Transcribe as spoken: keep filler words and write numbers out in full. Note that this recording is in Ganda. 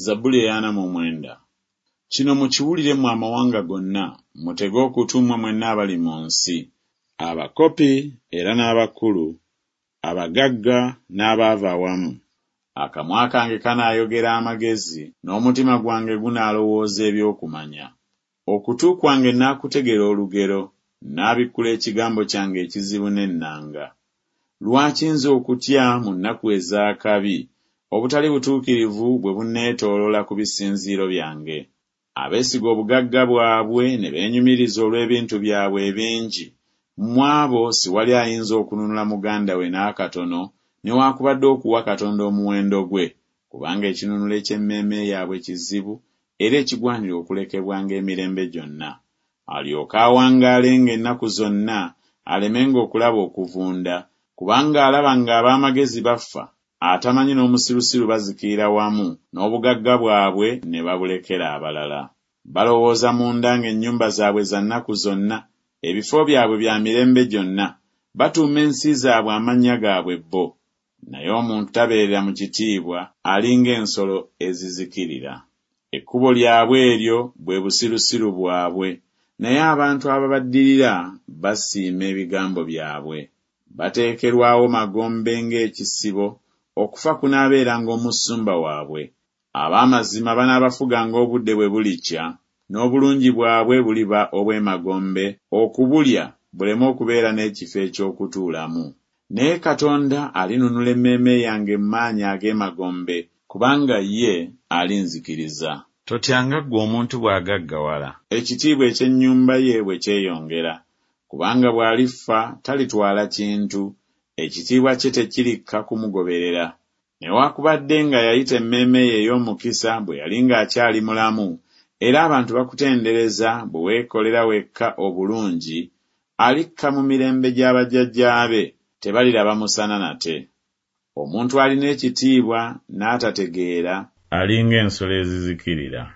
Zabbuli ey'ana mu mwenda. Kino mukiwulire mmwe amawanga gonna, mutege okutu mmwe mwenna abali mu nsi. Abakopi era n'abakulu, abagagga n'abaavu awamu. Akamwa kange kanaayogera amagezi, n'omutima gwange gunaalowooza eby'okumanya. Okutu kwange naakutegera olugero, naabikkula ekigambo kyange ekizibu n'ennanga. Lwaki nze okutya mu nnaku ez'akabi, obutali butuukirivu bwe bunneetooloola ku bisinziiro byange? Abeesiga obugagga bwabwe ne beenyumiriza olw'ebintu byabwe ebingi, mu abo siwali ayinza okununula muganda we n'akatono, newaakubadde okuwa Katonda omuwendo gwe, kubanga ekinunulo eky'emmeeme yaabwe kizibu era ekigwanira okulekebwanga emirembe gyonna. Alyoke awangaalenga ennaku zonna, alemenga okulaba okuvunda, kubanga alaba ng'ab'amagezi bafa, atamanyi n'omusirusiru bazikirira wamu, n'obugagga bwabwe ne babulekera abalala. Balowooza munda ng'ennyumba zaabwe za nnaku zonna, ebifo byabwe bya mirembe gyonna, batuuma ensi zaabwe amannya gaabwe bo. Naye omuntu tabeerera mu kitiibwa, ali ng'ensolo ezizikirira. Ekkubo lyabwe eryo bwe busirusiru bwabwe, naye abantu ababaddirira basiima ebigambo byabwe. Bateekerwawo magombe ng'ekisibo, okufa kunaabeeranga omusumba waabwe. Ab'amazima banaabafuganga obudde bwe bulikya, n'obulungi bwabwe buliba obw'emagombe, okubulya buleme okubeera n'ekifo eky'okutuulamu. Naye Katonda alinunula emmeeme yange mu maanyi ag'emagombe, kubanga ye alinzikiriza. Totyanga ggwe omuntu bw'agaggawala, ekitiibwa eky'ennyumba ye bwe kyeyongera, kubanga bw'alifa talitwala kintu, ekitiibwa kye tekirikka kumugoberera. Newaakubadde nga yayita emmeeme ye ey'omukisa bwe yali ng'akyali mulamu, era abantu bakutendereza bwe weekolera wekka obulungi, alikka mu mirembe gya bajjajjaabe, tebaliraba musana nate. Omuntu alina ekitiibwa n'atategeera, ali ng'ensolo ezizikirira.